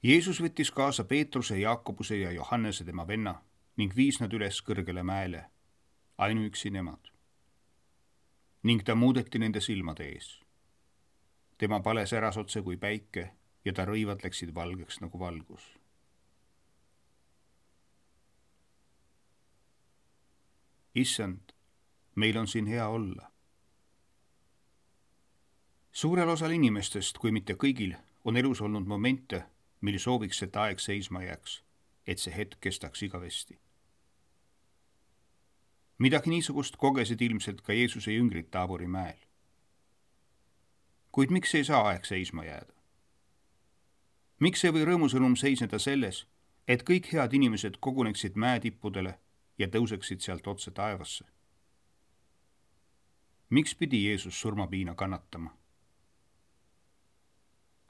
Jeesus võttis kaasa Peetruse, Jaakobuse ja Johannese tema venna ning viis nad üles kõrgele mäele, ainuüksi nemad. Ning ta muudeti nende silmade ees. Tema pale säras otse kui päike ja ta rõivad läksid valgeks nagu valgus. Issand, meil on siin hea olla. Suurel osal inimestest, kui mitte kõigil, on elus olnud momente, mil sooviks, et aeg seisma jääks, et see hetk kestaks igavesti. Midagi niisugust kogesid ilmselt ka Jeesuse jüngrid Taabori mäel. Kuid miks ei saa aeg seisma jääda? Miks ei või rõõmusõnum seisneda selles, et kõik head inimesed koguneksid mäetippudele ja tõuseksid sealt otse taevasse? Miks pidi Jeesus surmapiina kannatama?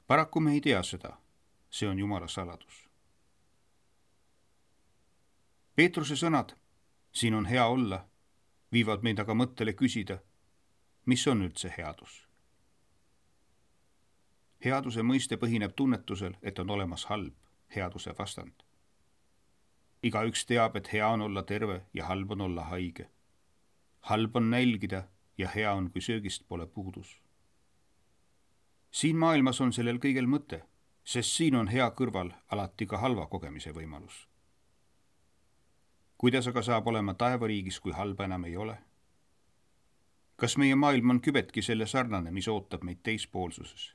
Paraku me ei tea seda, see on Jumala saladus. Peetruse sõnad, siin on hea olla, viivad meid aga mõttele küsida, mis on üldse headus? Headuse mõiste põhineb tunnetusel, et on olemas halb, headuse vastand. Igaüks teab, et hea on olla terve ja halb on olla haige. Halb on nälgida ja hea on, kui söögist pole puudus. Siin maailmas on sellel kõigel mõte, sest siin on hea kõrval alati ka halva kogemise võimalus. Kuidas aga saab olema taevariigis, kui halba enam ei ole? Kas meie maailm on kübetki selle sarnane, mis ootab meid teispoolsuses?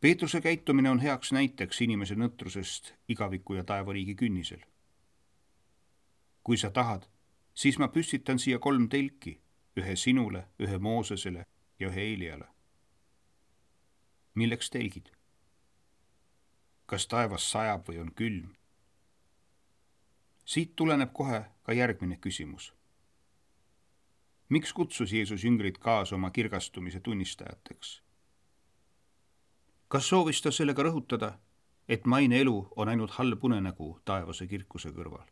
Peetruse käitumine on heaks näiteks inimese nõtrusest igaviku ja taevariigi künnisel. Kui sa tahad, siis ma püstitan siia 3 telki, ühe sinule, ühe Moosesele ja ühe Eeliale. Milleks telgid? Kas taevas sajab või on külm? Siit tuleneb kohe ka järgmine küsimus. Miks kutsus Jeesus jüngrid kaasa oma kirgastumise tunnistajateks? Kas soovis ta sellega rõhutada, et maine elu on ainult halb unenägu taevase kirkuse kõrval?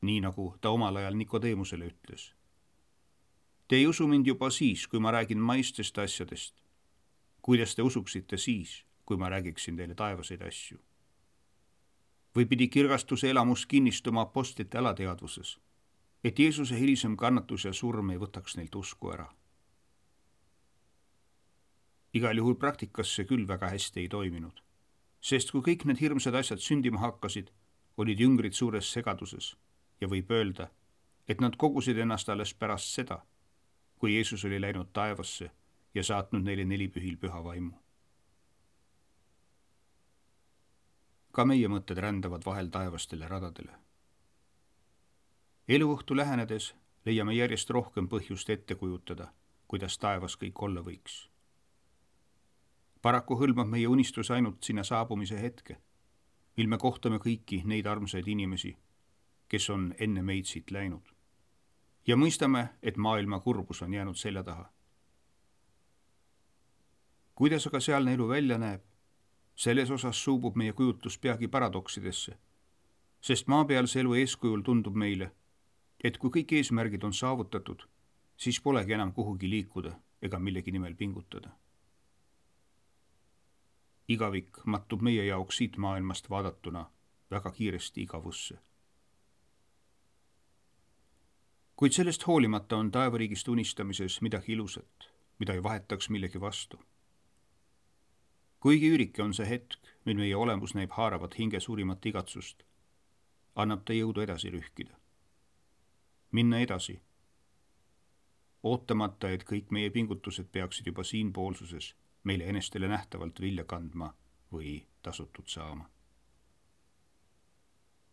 Nii nagu ta omal ajal Nikodeemusele ütles. Te ei usu mind juba siis, kui ma räägin maistest asjadest. Kuidas te usuksite siis, kui ma räägiksin teile taevaseid asju? Või pidi kirgastuse elamus kinnistuma apostlite alateadvuses, et Jeesuse hilisem kannatus ja surm ei võtaks neilt usku ära? Igal juhul praktikas see küll väga hästi ei toiminud, sest kui kõik need hirmsad asjad sündima hakkasid, olid jüngrid suures segaduses ja võib öelda, et nad kogusid ennast alles pärast seda, kui Jeesus oli läinud taevasse ja saatnud neile 4 pühil püha vaimu. Ka meie mõtted rändavad vahel taevastele radadele. Eluõhtu lähenedes leiame järjest rohkem põhjust ette kujutada, kuidas taevas kõik olla võiks. Paraku hõlmab meie unistus ainult sinna saabumise hetke, mil me kohtame kõiki neid armsaid inimesi, kes on enne meid siit läinud. Ja mõistame, et maailma kurbus on jäänud selja taha. Kuidas aga sealne elu välja näeb? Selles osas suubub meie kujutlus peagi paradoksidesse, sest maapealse elu eeskujul tundub meile, et kui kõik eesmärgid on saavutatud, siis polegi enam kuhugi liikuda ega millegi nimel pingutada. Igavik mattub meie jaoks siit maailmast vaadatuna väga kiiresti igavusse. Kuid sellest hoolimata on taevariigist unistamises midagi ilusat, mida ei vahetaks millegi vastu. Kuigi üürike on see hetk, mil meie olemus näib haaravat hinge suurimat igatsust, annab ta jõudu edasi rühkida. Minna edasi. Ootamata, et kõik meie pingutused peaksid juba siinpoolsuses meile enestele nähtavalt vilja kandma või tasutud saama.